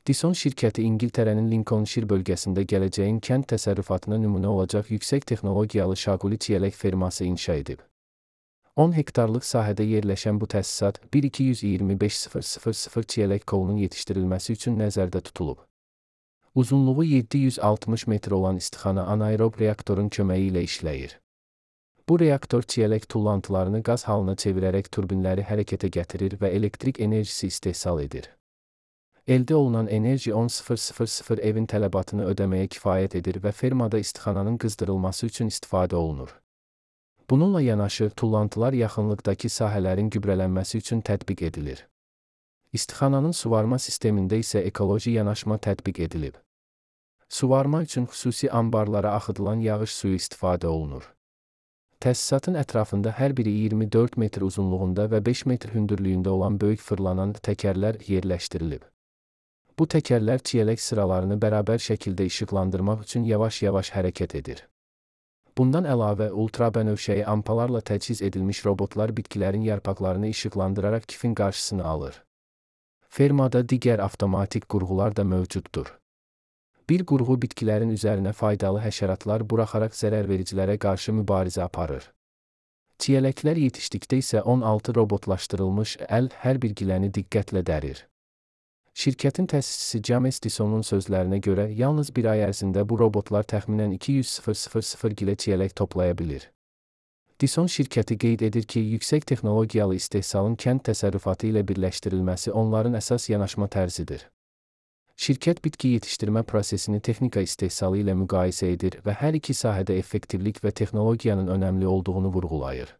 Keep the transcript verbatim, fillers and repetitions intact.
Dison şirkəti İngiltərənin Lincolnshire bölgəsində gələcəyin kənd təsərrüfatına nümunə olacaq yüksək texnologiyalı şaquli çiyələk ferması inşa edib. on hektarlıq sahədə yerləşən bu təsisat bir iki yüz iyirmi beş min çiyələk kolunun yetişdirilməsi üçün nəzərdə tutulub. Uzunluğu yeddi yüz altmış metr olan istixana anaerob reaktorun köməyi ilə işləyir. Bu reaktor çiyələk tullantılarını qaz halına çevirərək turbinləri hərəkətə gətirir və elektrik enerjisi istehsal edir. Əldə olunan enerji on min evin tələbatını ödəməyə kifayət edir və fermada istixananın qızdırılması üçün istifadə olunur. Bununla yanaşı, tullantılar yaxınlıqdakı sahələrin gübrələnməsi üçün tətbiq edilir. İstixananın suvarma sistemində isə ekoloji yanaşma tətbiq edilib. Suvarma üçün xüsusi anbarlara axıdılan yağış suyu istifadə olunur. Təsisatın ətrafında hər biri iyirmi dörd metr uzunluğunda və beş metr hündürlüyündə olan böyük fırlanan təkərlər yerləşdirilib. Bu təkərlər çiyələk sıralarını bərabər şəkildə işıqlandırmaq üçün yavaş-yavaş hərəkət edir. Bundan əlavə, ultrabənövşəyi ampalarla təchiz edilmiş robotlar bitkilərin yarpaqlarını işıqlandıraraq kifin qarşısını alır. Fermada digər avtomatik qurğular da mövcuddur. Bir qurğu bitkilərin üzərinə faydalı həşəratlar buraxaraq zərərvericilərə qarşı mübarizə aparır. Çiyələklər yetişdikdə isə on altı robotlaşdırılmış əl hər bir giləni diqqətlə dərir. Şirkətin təsisçisi James Disonun sözlərinə görə, yalnız bir ay ərzində bu robotlar təxminən iki yüz min gilə çiyələk toplaya bilir. Dison şirkəti qeyd edir ki, yüksək texnologiyalı istehsalın kənd təsərrüfatı ilə birləşdirilməsi onların əsas yanaşma tərzidir. Şirkət bitki yetişdirmə prosesini texnika istehsalı ilə müqayisə edir və hər iki sahədə effektivlik və texnologiyanın önəmli olduğunu vurğulayır.